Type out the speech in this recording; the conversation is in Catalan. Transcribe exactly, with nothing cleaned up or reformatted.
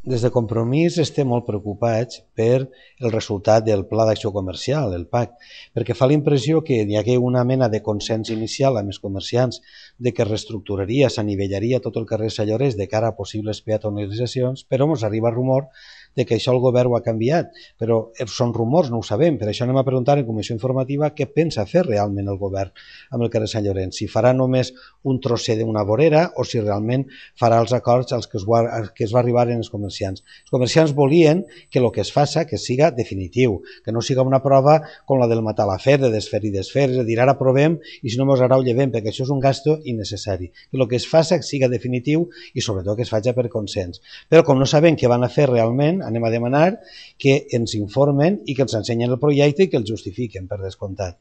Des de Compromís estem molt preocupats per el resultat del Pla d'Acció Comercial, el P A C, perquè fa la impressió que hi hagué una mena de consens inicial amb els comerciants de que es reestructuraria, s'anivellaria tot el carrer Sant Llorenç de cara a possibles peatonalitzacions, però ens arriba rumor de que això el govern ho ha canviat, però són rumors, no ho sabem, per això anem a preguntar en comissió informativa què pensa fer realment el govern amb el carrer Sant Llorenç, si farà només un trosser d'una vorera o si realment farà els acords als que es va, als que es va arribar en els comerciants. Els comerciants volien que el que es faci que siga definitiu, que no siga una prova com la del matar la fer, de desfer i desfer, és a dir, ara provem i si no ens agrada ho llevem, perquè això és un gasto innecessari. Que el que es faci siga definitiu i sobretot que es faci per consens. Però com no sabem què van a fer realment, anem a demanar que ens informen i que ens ensenyen el projecte i que el justifiquen, per descomptat.